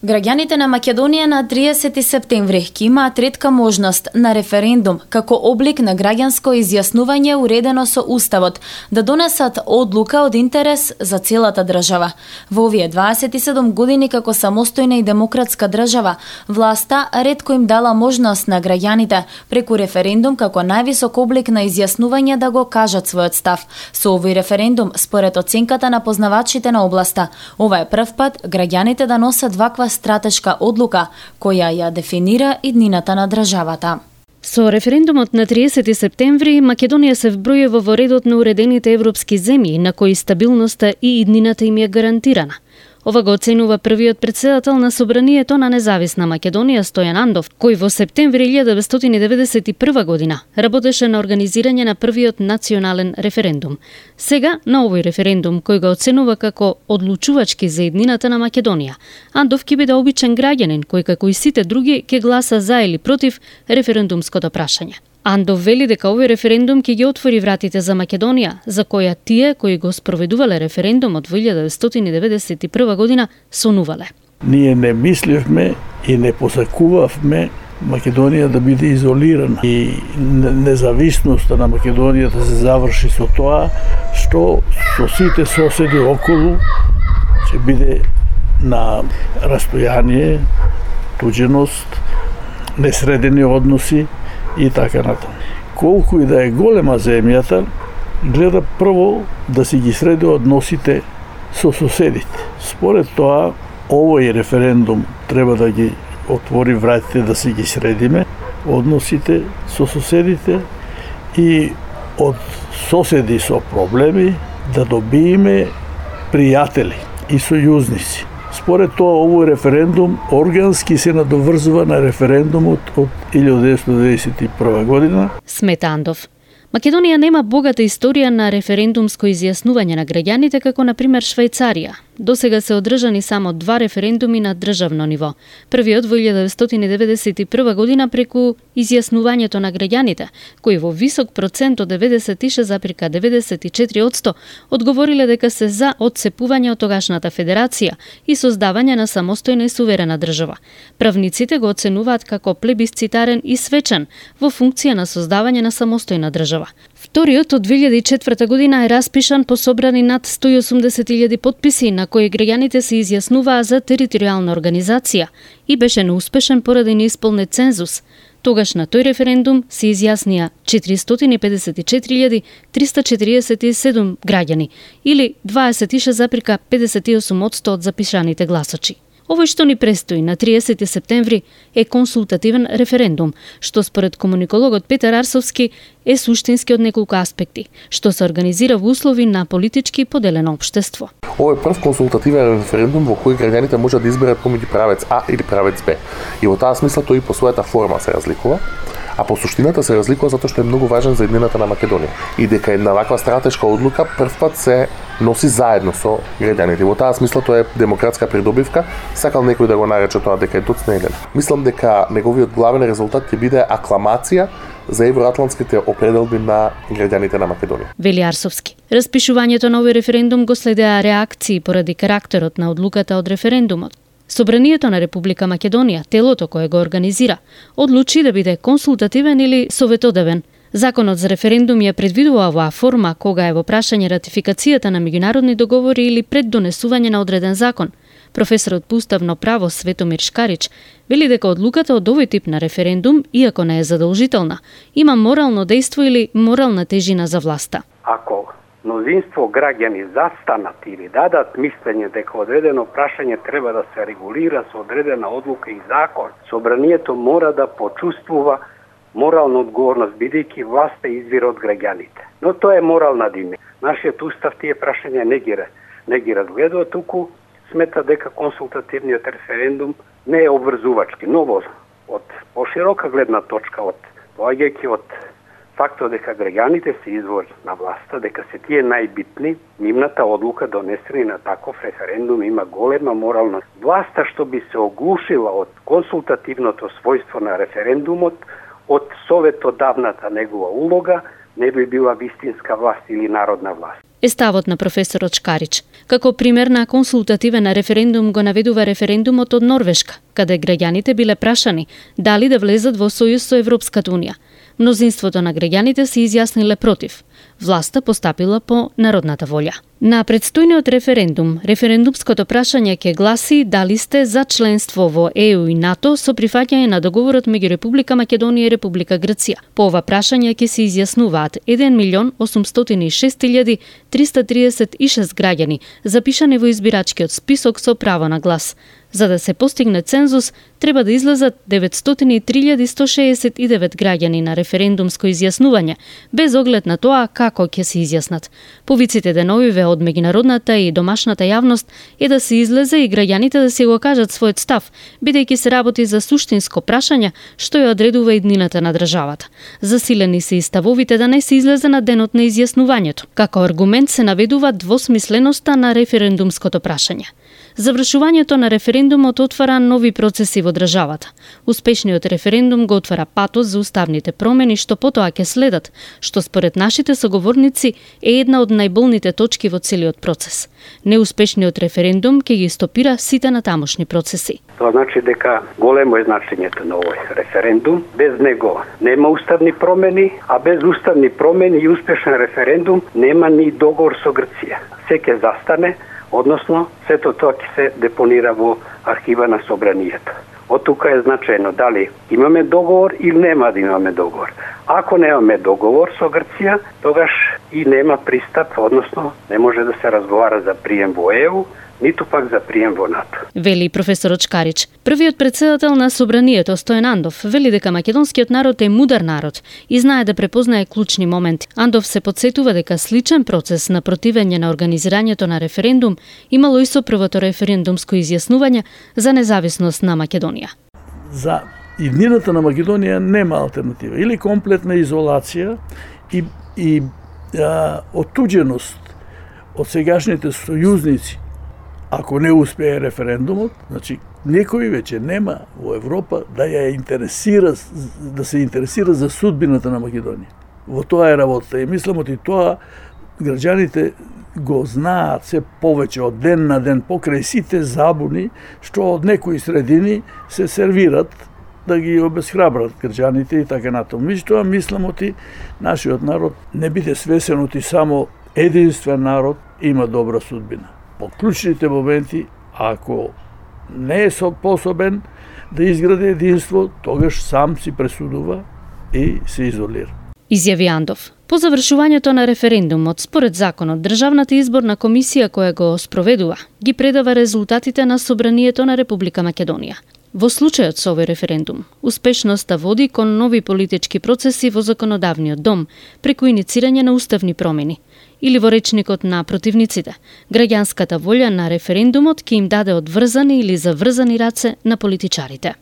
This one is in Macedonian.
Граѓаните на Македонија на 30 септември ќе имаат ретка можност на референдум како облик на граѓанско изјаснување уредено со Уставот да донесат одлука од интерес за целата држава. Во овие 27 години како самостојна и демократска држава, власта ретко им дала можност на граѓаните преку референдум како највисок облик на изјаснување да го кажат својот став. Со овој референдум, според оценката на познавачите на областа, ова е прв пат граѓаните да носат ваква стратешка одлука која ја дефинира иднината на државата. Со референдумот на 30 септември, Македонија се вбројува во редот на уредените европски земји на кои стабилноста и иднината им е гарантирана. Ова го оценува првиот претседател на Собранието на независна Македонија Стојан Андов, кој во септември 1991 година работеше на организирање на првиот национален референдум. Сега, на овој референдум, кој го оценува како одлучувачки за иднината на Македонија, Андов ќе биде обичен граѓанин кој како и сите други ќе гласа за или против референдумското прашање. Андов вели дека овој референдум ќе ги отвори вратите за Македонија, за која тие кои го спроведувале референдумот во 1991 година сонувале. Ние не мислевме и не посакувавме Македонија да биде изолирана и независноста на Македонија да се заврши со тоа што со сите соседи околу ќе биде на растојание, туѓеност, несредени односи и така натаму. Колку и да е голема земјата, гледа прво да си ги среди односите со соседите. Според тоа, овој референдум треба да ги отвори вратите да си ги средиме односите со соседите и од соседи со проблеми да добиеме пријатели и сојузници. Според тоа, овој референдум органски се надоврзува на референдумот од 1991 година. Смета Андов. Македонија нема богата историја на референдумско изјаснување на граѓаните како на пример Швајцарија. Досега се одржани само 2 референдуми на државно ниво. Првиот во 1991 година преку изјаснувањето на граѓаните, кои во висок процент од 96,94% одговориле дека се за отцепување од тогашната федерација и создавање на самостојна и суверена држава. Правниците го оценуваат како плебисцитарен и свечен во функција на создавање на самостојна држава. Вториот од 2004 година е распишан по собрани над 180.000 потписи на кои граѓаните се изјаснуваа за територијална организација и беше неуспешен поради неисполнет цензус. Тогаш на тој референдум се изјаснија 454.347 граѓани или 26,58% од запишаните гласачи. Овој што ни престои на 30 септември е консултативен референдум, што според комуникологот Петар Арсовски е суштински од неколку аспекти, што се организира во услови на политички поделено општество. Овој е прв консултативен референдум во кој граѓаните можат да изберат помеѓу правец А или правец Б. И во таа смисла тој и по својата форма се разликува, а по суштината се разликува затоа што е многу важен за иднината на Македонија. И дека една ваква стратешка одлука првпат се носи заедно со граѓаните. Во таа смисла тоа е демократска придобивка, сакал некој да го нарече тоа дека е доцнелен. Мислам дека неговиот главен резултат ќе биде акламација за евроатлантските определби на граѓаните на Македонија. Вели Арсовски. Распишувањето на овој референдум го следеа реакции поради карактерот на одлуката од референдумот. Собранието на Република Македонија, телото кое го организира, одлучи да биде консултативен или советодавен. Законот за референдум ја предвидува оваа форма кога е во прашање ратификацијата на меѓународни договори или пред донесување на одреден закон. Професорот по уставно право Светомир Шкарич вели дека одлуката од овој тип на референдум, иако не е задолжителна, има морално дејство или морална тежина за власта. Ако мнозинство граѓани застанат или дадат мислење дека одредено прашање треба да се регулира со одредена одлука и закон, собранието мора да почувствува морална одговорност, бидејќи власта извира од граѓаните. Но тоа е морална диме. Нашиот устав тие прашања не ги разгледува, туку смета дека консултативниот референдум не е обврзувачки, но од поширока гледна точка, поаѓајќи од фактот дека граѓаните се извор на власта, дека се тие најбитни, нивната одлука донесена на таков референдум има голема морална. Власта што би се оглушила од консултативното својство на референдумот, од советодавната негова улога, не би била вистинска власт или народна власт. е ставот на професорот Шкарич. Како пример на консултативен референдум го наведува референдумот од Норвешка, каде граѓаните биле прашани дали да влезат во сојуз со Европската унија. Мнозинството на граѓаните се изјасниле против. Власта постапила по народната волја. На предстојниот референдум, референдумското прашање ќе гласи дали сте за членство во ЕУ и НАТО со прифаќање на договорот меѓу Република Македонија и Република Грција. По ова прашање ќе се изјаснуваат 1.806.336 граѓани, запишани во избирачкиот список со право на глас. За да се постигне цензус, треба да излезат 903.169 граѓани на референдумско изјаснување, без оглед на тоа како ќе се изјаснат. Повиците деновиве од меѓународната и домашната јавност е да се излезе и граѓаните да си го кажат својот став, бидејќи се работи за суштинско прашање што ја одредува иднината на државата. Засилени се и ставовите да не се излезе на денот на изјаснувањето. Како аргумент се наведува двосмисленоста на референдумското прашање. Завршувањето на референдумот отвара нови процеси во државата. Успешниот референдум го отвара патот за уставните промени што потоа ќе следат, што според нашите соговорници е една од најболните точки во целиот процес. Неуспешниот референдум ќе ги стопира сите натамошни процеси. Тоа значи дека големо е значењето на овој референдум. Без него нема уставни промени, а без уставни промени и успешен референдум нема ни договор со Грција. Се ќе застане, односно сето тоа ќе се депонира во архива на Собранието. Од тука е значајно дали имаме договор или нема да имаме договор. Ако немаме договор со Грција, тогаш и нема пристап, односно не може да се разговара за прием во ЕУ, ниту пак за прием во НАТО. Вели професорот Шкарич. Првиот претседател на Собранието, Стојан Андов, вели дека македонскиот народ е мудар народ и знае да препознае клучни моменти. Андов се потсетува дека сличен процес на противење на организирањето на референдум имало и со првото референдумско изјаснување за независност на Македонија. За иднината на Македонија нема алтернатива. Или комплетна изолација и оттуѓеност од сегашните сојузници. Ако не успее референдумот, значи некој веќе нема во Европа да се интересира за судбината на Македонија. Во тоа е работа и мислам и тоа граѓаните го знаат се повеќе од ден на ден покрај сите забуни што од некои средини се сервират да ги обесхрабрат граѓаните и така натаму. Меѓутоа мислам нашиот народ не биде свесен само единствен народ има добра судбина. По клучните моменти, ако не е способен да изгради единство, тогаш сам си пресудува и се изолира. Изјави Андов. По завршувањето на референдумот, според законот, Државната изборна комисија која го спроведува, ги предава резултатите на Собранието на Република Македонија. Во случајот со овој референдум, успешноста води кон нови политички процеси во законодавниот дом, преку иницирање на уставни промени. Или во речникот на противниците, граѓанската волја на референдумот ќе им даде одврзани или заврзани раце на политичарите.